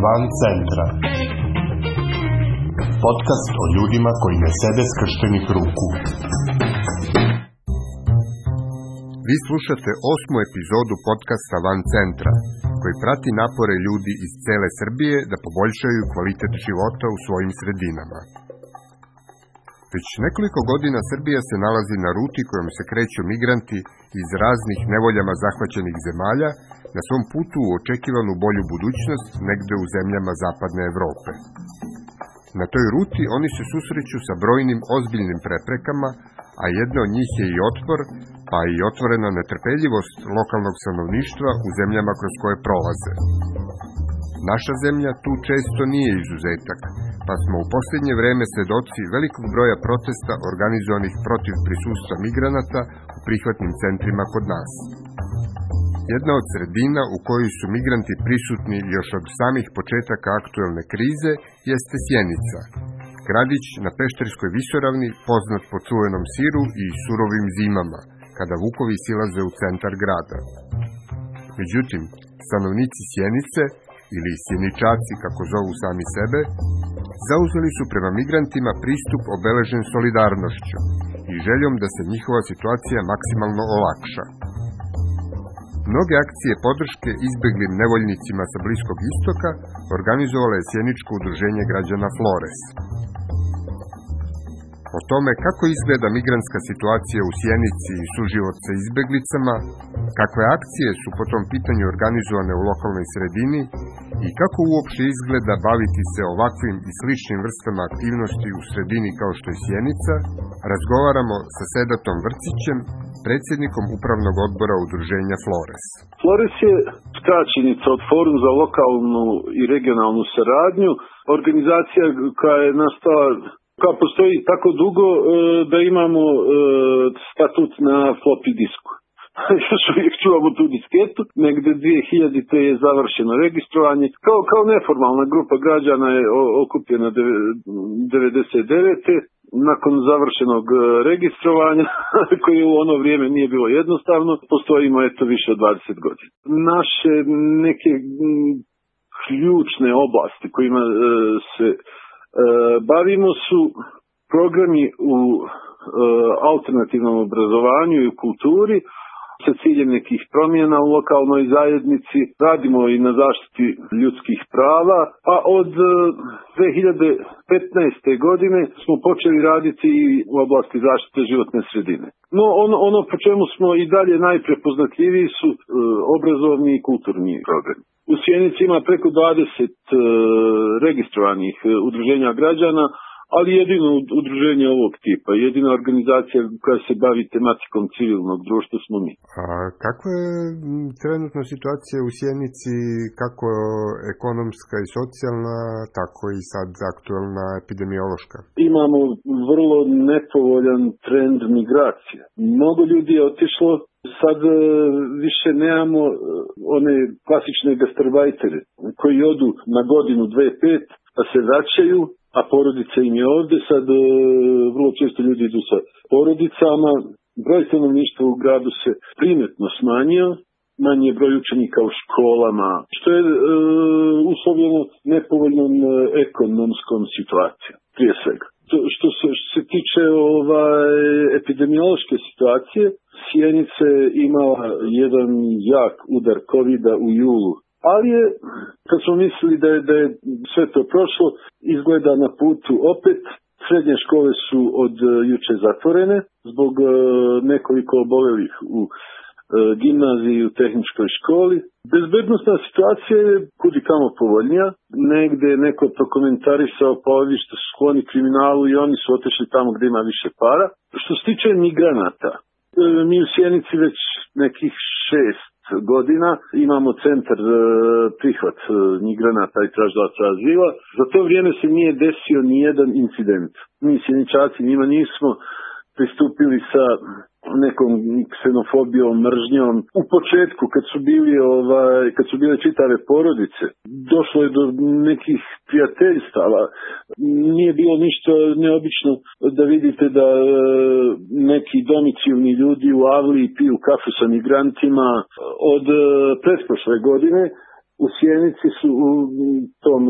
Van centra. Podcast o ljudima koji ne sede skrštenih ruku. Vi slušate 8. epizodu podcasta Van centra, koji prati napore ljudi iz cele Srbije da poboljšaju kvalitet života u svojim sredinama. Već nekoliko godina Srbija se nalazi na ruti kojom se kreću migranti iz raznih nevoljama zahvaćenih zemalja na svom putu u očekivanu bolju budućnost negde u zemljama zapadne Evrope. Na toj ruti oni se susreću sa brojnim ozbiljnim preprekama, a jedna od njih je i otpor, pa i otvorena netrpeljivost lokalnog stanovništva u zemljama kroz koje prolaze. Naša zemlja tu često nije izuzetak, pa smo u posljednje vreme svedoci velikog broja protesta organizovanih protiv prisustva migranata u prihvatnim centrima kod nas. Jedna od sredina u kojoj su migranti prisutni još od samih početaka aktuelne krize jeste Sjenica, gradić na Pešterskoj visoravni poznat po čuvenom siru i surovim zimama, kada vukovi silaze u centar grada. Međutim, stanovnici Sjenice, ili Sjeničaci kako zovu sami sebe, zauzeli su prema migrantima pristup obeležen solidarnošću i željom da se njihova situacija maksimalno olakša. Mnoge akcije podrške izbeglim nevoljnicima sa Bliskog istoka organizovala je sjeničko udruženje građana Flores. O tome kako izgleda migrantska situacija u Sjenici i suživot sa izbeglicama, kakve akcije su po tom pitanju organizovane u lokalnoj sredini i kako uopšte izgleda baviti se ovakvim i sličnim vrstama aktivnosti u sredini kao što je Sjenica, razgovaramo sa Sedatom Vrcićem, predsjednikom upravnog odbora udruženja Flores. Flores je skraćenica od Forum za lokalnu i regionalnu saradnju, organizacija koja je nastala, koja postoji tako dugo da imamo statut na floppy disku. Još uvijek čuvamo tu disketu, negde 2000. je završeno registrovanje. Kao neformalna grupa građana je okupljena 99. Nakon završenog registrovanja, koje u ono vrijeme nije bilo jednostavno, postojimo više od 20 godina. Naše neke ključne oblasti kojima se bavimo su programi u alternativnom obrazovanju i u kulturi, sa ciljem nekih promjena u lokalnoj zajednici, radimo i na zaštiti ljudskih prava, a od 2015. godine smo počeli raditi i u oblasti zaštite životne sredine. No ono po čemu smo i dalje najprepoznatljiviji su obrazovni i kulturni programi. U Sjenici ima preko 20 registrovanih udruženja građana, ali jedino udruženje ovog tipa, jedina organizacija koja se bavi tematikom civilnog društva smo mi. A kakva je trenutna situacija u Sjenici, kako ekonomska i socijalna, tako i sad aktuelna epidemiološka? Imamo vrlo nepovoljan trend migracije. Mnogo ljudi je otišlo, sad više nemamo one klasične gastarbajtere koji odu na godinu, 2-5, pa se vraćaju, a porodica im je ovdje. Sad vrlo često ljudi idu sa porodicama. Broj stanovništva u gradu se primjetno smanjio, manji je broj učenika u školama, što je uslovljeno nepovoljnom ekonomskom situacijom, prije svega. Što se tiče epidemiološke situacije, Sjenica je imala jedan jak udar COVID-a u julu. Ali je, kad smo mislili da je sve to prošlo, izgleda na putu opet. Srednje škole su od juče zatvorene zbog nekoliko obolelih u gimnaziji i u tehničkoj školi. Bezbednosna situacija je kudikamo povoljnija. Negde je neko prokomentarisao pa ovi što su skloni kriminalu i oni su otišli tamo gdje ima više para. Što se tiče migranata, mi u Sjenici već nekih 6 godina imamo centar prihvat migranata i tražilaca azila. Za to vrijeme se nije desio ni jedan incident. Mi Sjeničaci njima nismo pristupili sa nekom ksenofobijom, mržnjom. U početku kad su bile čitave porodice, došlo je do nekih prijateljstava. Nije bilo ništa neobično da vidite da neki domicilni ljudi u Avliji piju kafu sa migrantima. Od pretprošle godine U Sjenici su u tom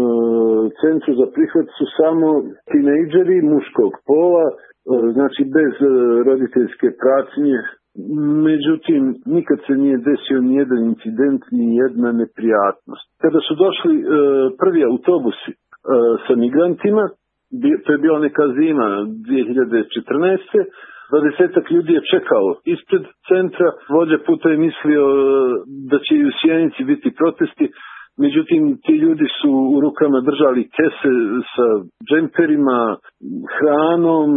centru za prihvat su samo tinejdžeri muškog pola, znači bez roditeljske pratnje. Međutim, nikad se nije desio nijedan incident, nijedna neprijatnost. Kada su došli prvi autobusi sa migrantima, to je bila neka zima 2014. 20-ak ljudi je čekalo ispred centra, vođa puta je mislio da će i u Sjenici biti protesti, međutim ti ljudi su u rukama držali kese sa džemperima, hranom,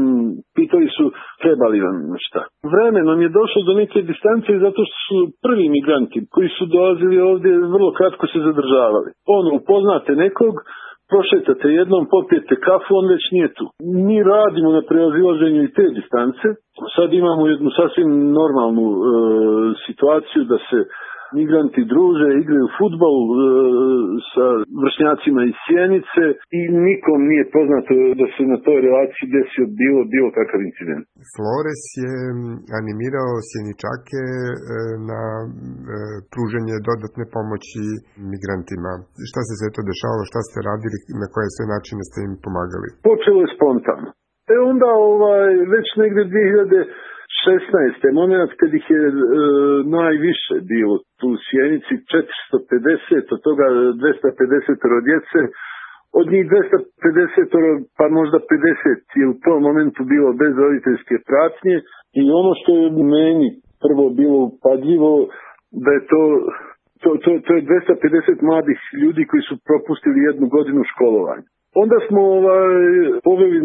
pitali su trebali vam šta. Vremenom je došlo do neke distance zato što su prvi migranti koji su dolazili ovdje vrlo kratko se zadržavali. Upoznate nekog, prošetate jednom, popijete kafu, on već nije tu. Mi radimo na prevazilaženju i te distance. Sad imamo jednu sasvim normalnu situaciju da se migranti druže, igraju fudbal sa vršnjacima iz Sjenice i nikom nije poznato da se na toj relaciji desio bilo kakav incident. Flores je animirao Sjeničake na pružanje dodatne pomoći migrantima. Šta se sve to dešavalo, šta ste radili, na koje sve načine ste im pomagali? Počelo je spontano. Onda već negdje 2016. moment kad ih je najviše bilo tu u Sjenici, 450, od toga 250 djece, od njih 250 pa možda 50 je u tom momentu bilo bez roditeljske pratnje i ono što je meni prvo bilo upadljivo da je to je 250 mladih ljudi koji su propustili 1 godinu školovanja. Onda smo poveli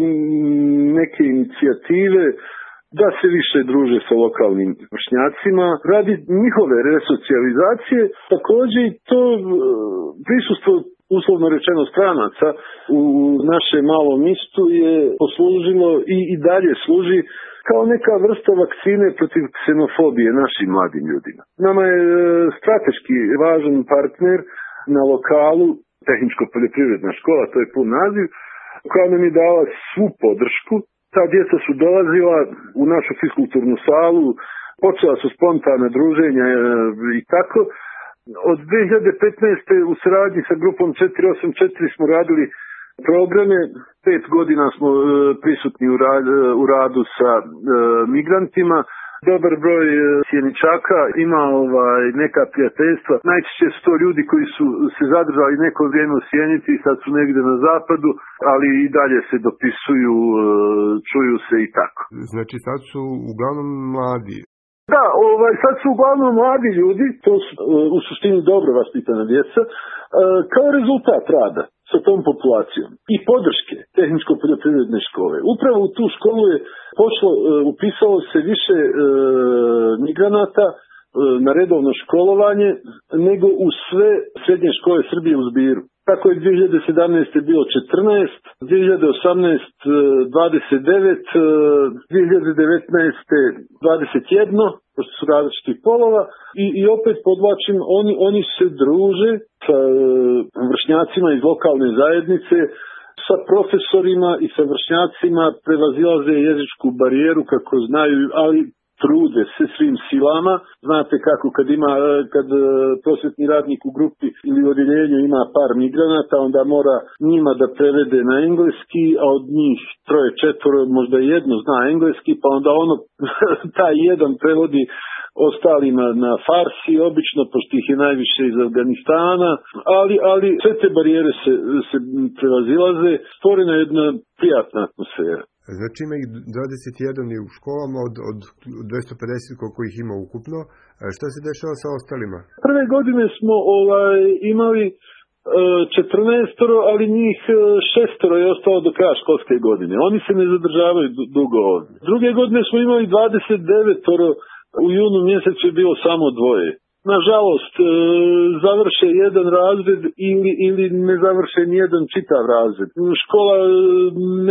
neke inicijative da se više druže sa lokalnim vršnjacima, radi njihove resocijalizacije, također i to prisustvo uslovno rečeno stranaca u našem malom mistu je poslužilo i dalje služi kao neka vrsta vakcine protiv ksenofobije našim mladim ljudima. Nama je strateški važan partner na lokalu Tehničko-poljoprivredna škola, to je pun naziv, koja nam je dala svu podršku. Ta djeca su dolazila u našu fiskulturnu salu, počela su spontana druženja i tako. Od 2015. u saradnji sa grupom 484 smo radili programe, 5 godina smo prisutni u radu sa migrantima. Dobar broj Sjeničaka ima neka prijateljstva. Najčešće su to ljudi koji su se zadržali neko vrijeme u Sjenici i sad su negdje na zapadu, ali i dalje se dopisuju, čuju se i tako. Znači sad su uglavnom mladi. Da, sad su uglavnom mladi ljudi, to su u suštini dobro vaspitana djeca, kao rezultat rada sa tom populacijom i podrške Tehničko-poljoprivredne škole. Upravo u tu školu je upisalo se više migranata na redovno školovanje nego u sve srednje škole Srbije u zbiru. Tako je 2017. bilo 14, 2018. 29, 2019. 21, pošto su različitih polova i opet podvlačim, oni se druže sa vršnjacima iz lokalne zajednice, sa profesorima i sa vršnjacima, prevazilaze jezičku barijeru kako znaju, ali trude se svim silama. Znate kako kad prosvjetni radnik u grupi ili u odjeljenju ima par migranata, onda mora njima da prevede na engleski, a od njih 3-4 možda jedno zna engleski, pa onda taj jedan prevodi ostalima na farsi, obično, pošto ih je najviše iz Afganistana, ali sve te barijere se prevazilaze, stvorena je jedna prijatna atmosfera. Znači ima ih 21 u školama od 250 koliko ih ima ukupno. Šta se dešava sa ostalima? Prve godine smo imali 14, ali njih 6 je ostalo do kraja školske godine. Oni se ne zadržavaju dugo ovdje. Druge godine smo imali 29, u junu mjesecu je bilo samo 2. Nažalost, završe jedan razred ili ne završe nijedan čitav razred. Škola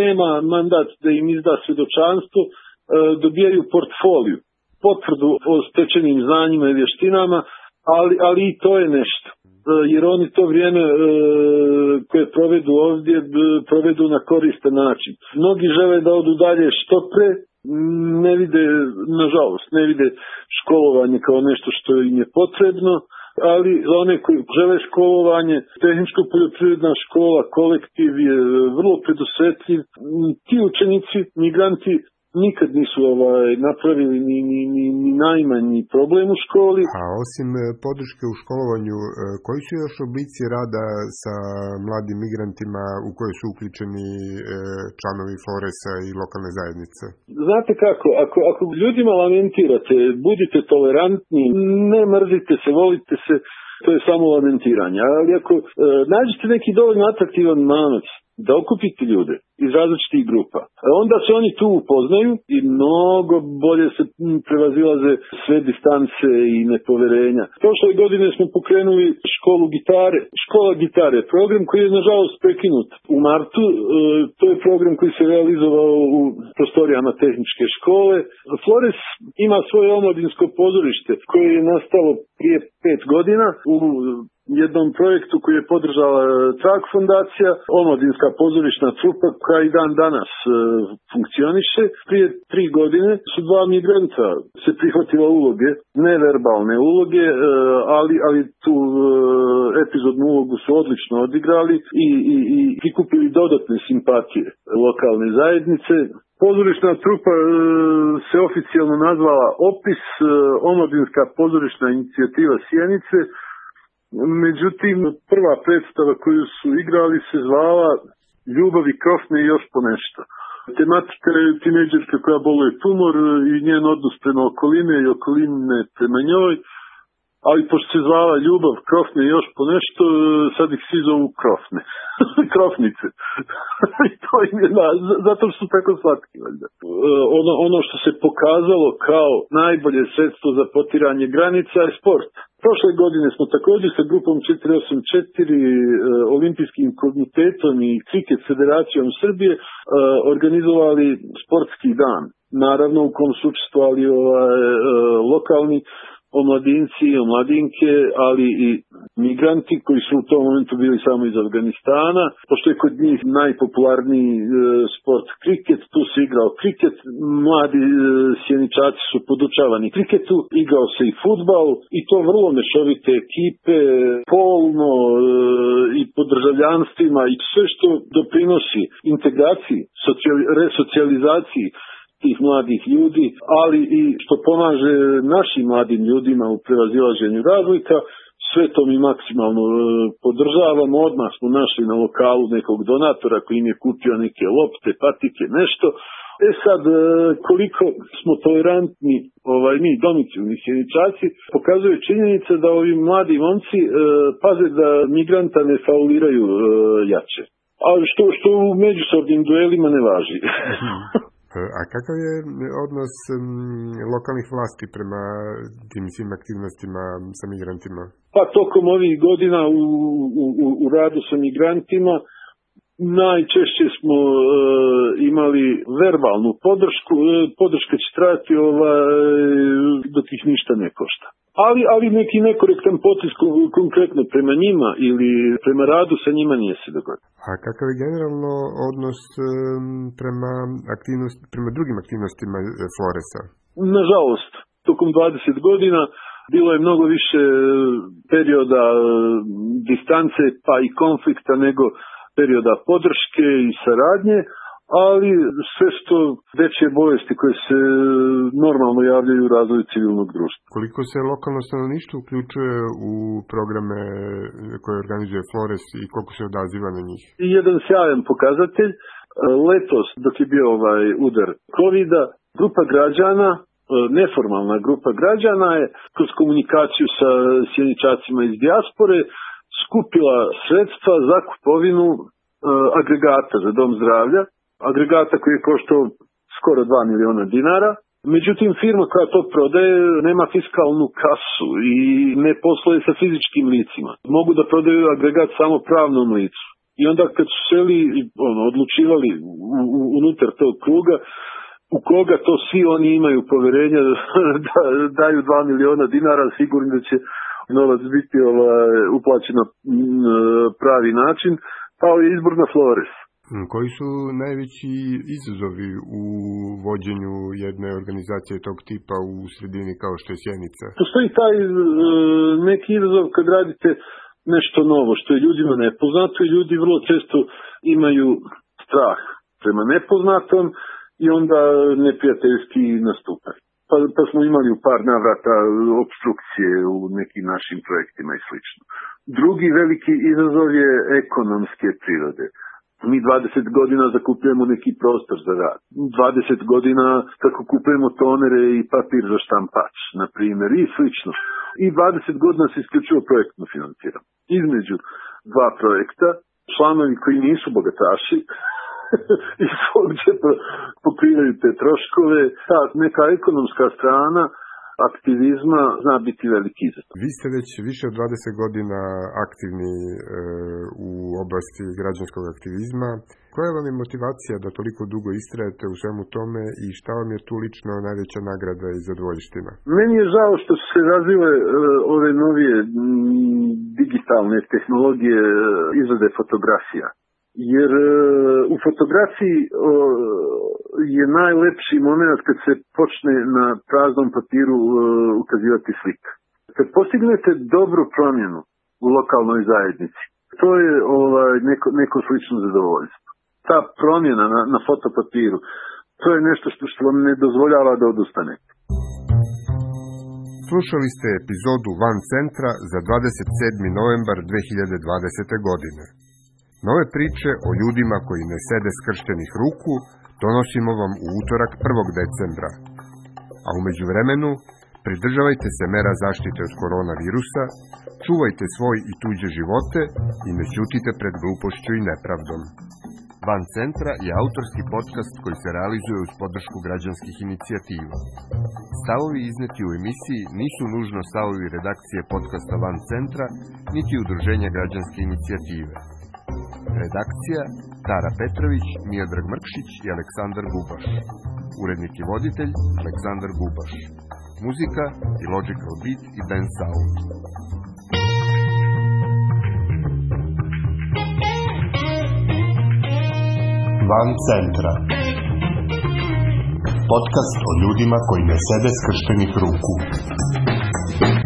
nema mandat da im izda svjedočanstvo, dobijaju portfoliju, potvrdu o stečenim znanjima i vještinama, ali i to je nešto. Jer oni to vrijeme koje provedu ovdje, provedu na koristan način. Mnogi žele da odu dalje što pre, ne vide, nažalost, ne vide školovanje kao nešto što im je potrebno, ali za one koji žele školovanje, tehničko-poljoprivredna škola, kolektiv je vrlo predusetljiv. Ti učenici, migranti, nikad nisu napravili ni najmanji problem u školi. A osim podrške u školovanju, koji su još oblici rada sa mladim migrantima u koje su uključeni članovi Floresa i lokalne zajednice? Znate kako, ako ljudima lamentirate, budite tolerantni, ne mrzite se, volite se, to je samo lamentiranje. Ali ako nađete neki dovoljno atraktivan manac da okupite ljude iz različitih grupa, onda se oni tu upoznaju i mnogo bolje se prevazilaze sve distance i nepoverenja. Prošle godine smo pokrenuli školu gitare. Škola gitare, program koji je nažalost prekinut u martu. To je program koji se realizovao u prostorijama tehničke škole. Flores ima svoje omladinsko pozorište koje je nastalo prije 5 godina u jednom projektu koji je podržala Trag fondacija, omladinska pozorišna trupa koja i dan danas funkcioniše. Prije 3 godine su 2 migranta se prihvatila uloge, neverbalne uloge, ali tu epizodnu ulogu su odlično odigrali i prikupili dodatne simpatije lokalne zajednice. Pozorišna trupa se oficijalno nazvala OPIS, omladinska pozorišna inicijativa Sjenice. Međutim, prva predstava koju su igrali se zvala Ljubav i krofne i još po nešto. Tematika je tinejdžerka koja boluje tumor i njen odnos prema okoline i okoline prema njoj, ali pošto se zvala Ljubav, krofne i još po nešto, sad ih svi zovu krofne. Krofnice. To im je zato što su tako slatki. Ono što se pokazalo kao najbolje sredstvo za potiranje granica je sport. Prošle godine smo također sa grupom 484, Olimpijskim komitetom i Kriket federacijom Srbije organizovali sportski dan. Naravno u kom su učestvovali lokalni omladinci i omladinke, ali i migranti koji su u tom momentu bili samo iz Afganistana. Pošto je kod njih najpopularniji sport kriket, tu se igrao kriket, mladi sjeničaci su podučavani kriketu, igrao se i fudbal i to vrlo mešovite ekipe, polno i po državljanstvima i sve što doprinosi integraciji, resocijalizaciji tih mladih ljudi, ali i što pomaže našim mladim ljudima u prevazilaženju razlika. Sve to mi maksimalno podržavamo. Odmah smo našli na lokalu nekog donatora koji im je kupio neke lopte, patike, nešto. Sad, koliko smo tolerantni, mi domicilni sjeničaci, pokazuje činjenica da ovi mladi momci paze da migranta ne fauliraju jače. Ali što u međusobnim duelima ne važi. A kakav je odnos lokalnih vlasti prema tim svim aktivnostima sa migrantima? Pa tokom ovih godina u radu sa migrantima najčešće smo imali verbalnu podršku. Podrška će trajati dok ih ništa ne košta. Ali neki nekorektan potez konkretno prema njima ili prema radu sa njima nije se dogodio. A kakav je generalno odnos prema drugim aktivnostima Floresa? Nažalost, tokom 20 godina bilo je mnogo više perioda distance pa i konflikta nego perioda podrške i saradnje, ali sve što veće bolesti koje se normalno javljaju u razvoju civilnog društva. Koliko se lokalno stanovništvo uključuje u programe koje organizuje Flores i koliko se odaziva na njih? Jedan sjajan pokazatelj. Letos, dok je bio udar COVID-a, grupa građana, neformalna grupa građana je kroz komunikaciju sa sjeničacima iz dijaspore skupila sredstva za kupovinu agregata za dom zdravlja, agregata koji je koštao skoro 2 miliona dinara. Međutim, firma koja to prodaje nema fiskalnu kasu i ne posluje sa fizičkim licima. Mogu da prodaju agregat samo pravnom licu. I onda kad su seli, odlučivali unutar tog kruga, u koga to svi oni imaju poverenja da daju 2 miliona dinara, sigurno da će novac biti uplaćen na pravi način, pao je izbor na Flores. Koji su najveći izazovi u vođenju jedne organizacije tog tipa u sredini kao što je Sjenica? Postoji taj neki izazov kad radite nešto novo, što je ljudima nepoznato i ljudi vrlo često imaju strah prema nepoznatom i onda neprijateljski nastupaju. Pa smo imali u par navrata opstrukcije u nekim našim projektima i slično. Drugi veliki izazov je ekonomske prirode. Mi 20 godina zakupljujemo neki prostor za rad. 20 godina tako kupujemo tonere i papir za štampač, na primjer, i slično. I 20 godina se isključivo projektno financiramo. Između dva projekta, članovi koji nisu bogataši i svog džepa pokrivaju te troškove. Ta neka ekonomska strana aktivizma zna biti veliki izazov. Vi ste već više od 20 godina aktivni u oblasti građanskog aktivizma. Koja vam je motivacija da toliko dugo istrajete u svemu tome i šta vam je tu lično najveća nagrada i zadovoljština? Meni je žao što su se razvile ove novije digitalne tehnologije izrade fotografija. Jer u fotografiji je najlepši moment kad se počne na praznom papiru ukazivati slika. Kad postignete dobru promjenu u lokalnoj zajednici, to je neko slično zadovoljstvo. Ta promjena na fotopapiru, to je nešto što vam ne dozvoljava da odustanete. Slušali ste epizodu Van Centra za 27. novembar 2020. godine. Nove priče o ljudima koji ne sede skrštenih ruku donosimo vam u utorak 1. decembra. A u međuvremenu, pridržavajte se mera zaštite od koronavirusa, čuvajte svoj i tuđe živote i ne ćutite pred glupošću i nepravdom. Van Centra je autorski podcast koji se realizuje uz podršku građanskih inicijativa. Stavovi izneti u emisiji nisu nužno stavovi redakcije podcasta Van Centra, niti udruženja građanske inicijative. Redakcija Tara Petrović, Miodrag Mrkšić i Aleksandar Gubaš. Urednik i voditelj Aleksandar Gubaš. Muzika i Logical Beat i Ben Sound. Van Centra. Podcast o ljudima koji ne sede skrštenih ruku.